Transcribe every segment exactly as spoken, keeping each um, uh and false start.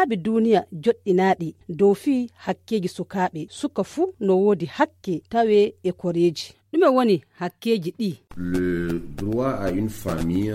laabi duniya joɗɗinaaɗi dow fii hakkeeji sukaaɓe suka fuu no woodi hakke tawe e koreeji. ɗume woni hakkeeji ɗi? Le droit à une famille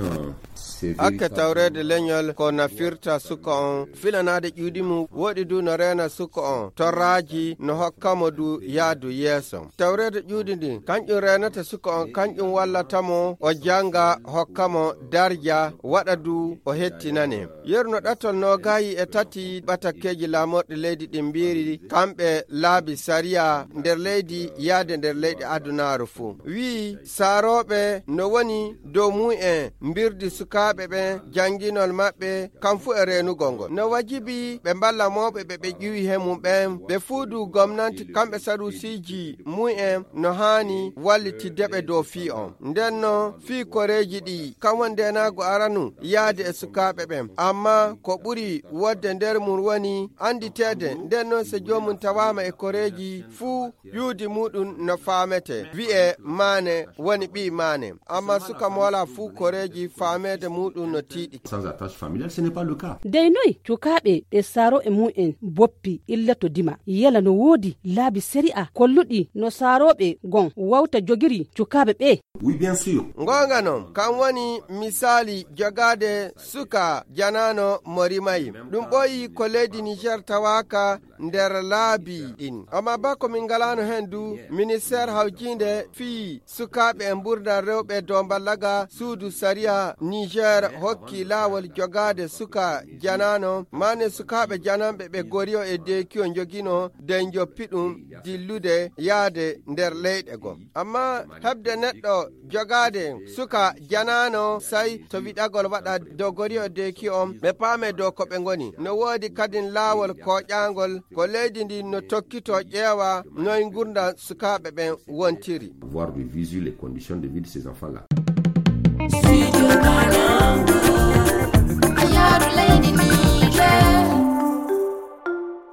hakke tawrede leñol ko nafirta suka on filanade ƴuuɗi mum woɗi du no rena suka on torraji no hokkamo du yaadu yeeso. Tawrede ƴuuɗi ndi kanƴum renata suka on, kanƴum wallatamo o janga hokkamo darja waɗa du o hettinane. Yerno ɗatol no gayi e tati ɓatakkeji laamorɗi leydi ɗin mbiri kamɓe laabi sariya nder leydi yaade nder leyɗi adunaru fuu. Wi saaroɓe no woni dow mu'en mbirdi sukaɓe ɓe janginol maɓɓe kam fu e renugol ngol. No wajibi ɓe mballa mawɓe ɓe ɓe ƴiwi he mum ɓen ɓe fuudu gomnati kamɓe sarusiji mu'en no hani wallitiddeɓe dow fii on. nden no fii koreji ɗi kam woni ndenago aranu yaade e sukaɓe ɓen, amma ko ɓuri wodde nder mum woni anditede. nden noon so jomum tawama e koreji fuu yuudi muɗum no faamete wi'e maane woni ɓi maane, amma suka mo wala fuu koreji faamede muɗum no tiiɗi. Sans attache familiale, ce n'est pas le cas. dey noy cukaaɓe ɓe saaro e mu'en boppi illa to dima yala no woodi laabi sari'a kolluɗi no saarooɓe gon wawta jogiri cukaaɓe ɓe? Oui, bien sûr. Ngonga non kan woni misali jogade suka janano morimayi ɗum ɓoyi ko leydi Niger tawaka nder laabi ɗin, amma ba ko min galano hen du ministére hawjinde fii sukaɓe e mburdan rewɓe dow ballaga suudu sariya Niger hokki laawol jogade suka janano mane sukaɓe jananɓe ɓe goriyo e dekiyo jogino den joppi ɗum dillude yaade nder leyɗe go. Amma hebde neɗɗo jogade suka janano sai to wiɗagol waɗa dow goriyo e dekiyo on ɓe paame dow ko ɓe ngoni. No woodi kadin laawol koƴangol ko leydi ndi no tokkito ƴeewa noy gurda sukaɓe ɓen wontiri. Voir de visu les conditions de vie de ces enfants-là.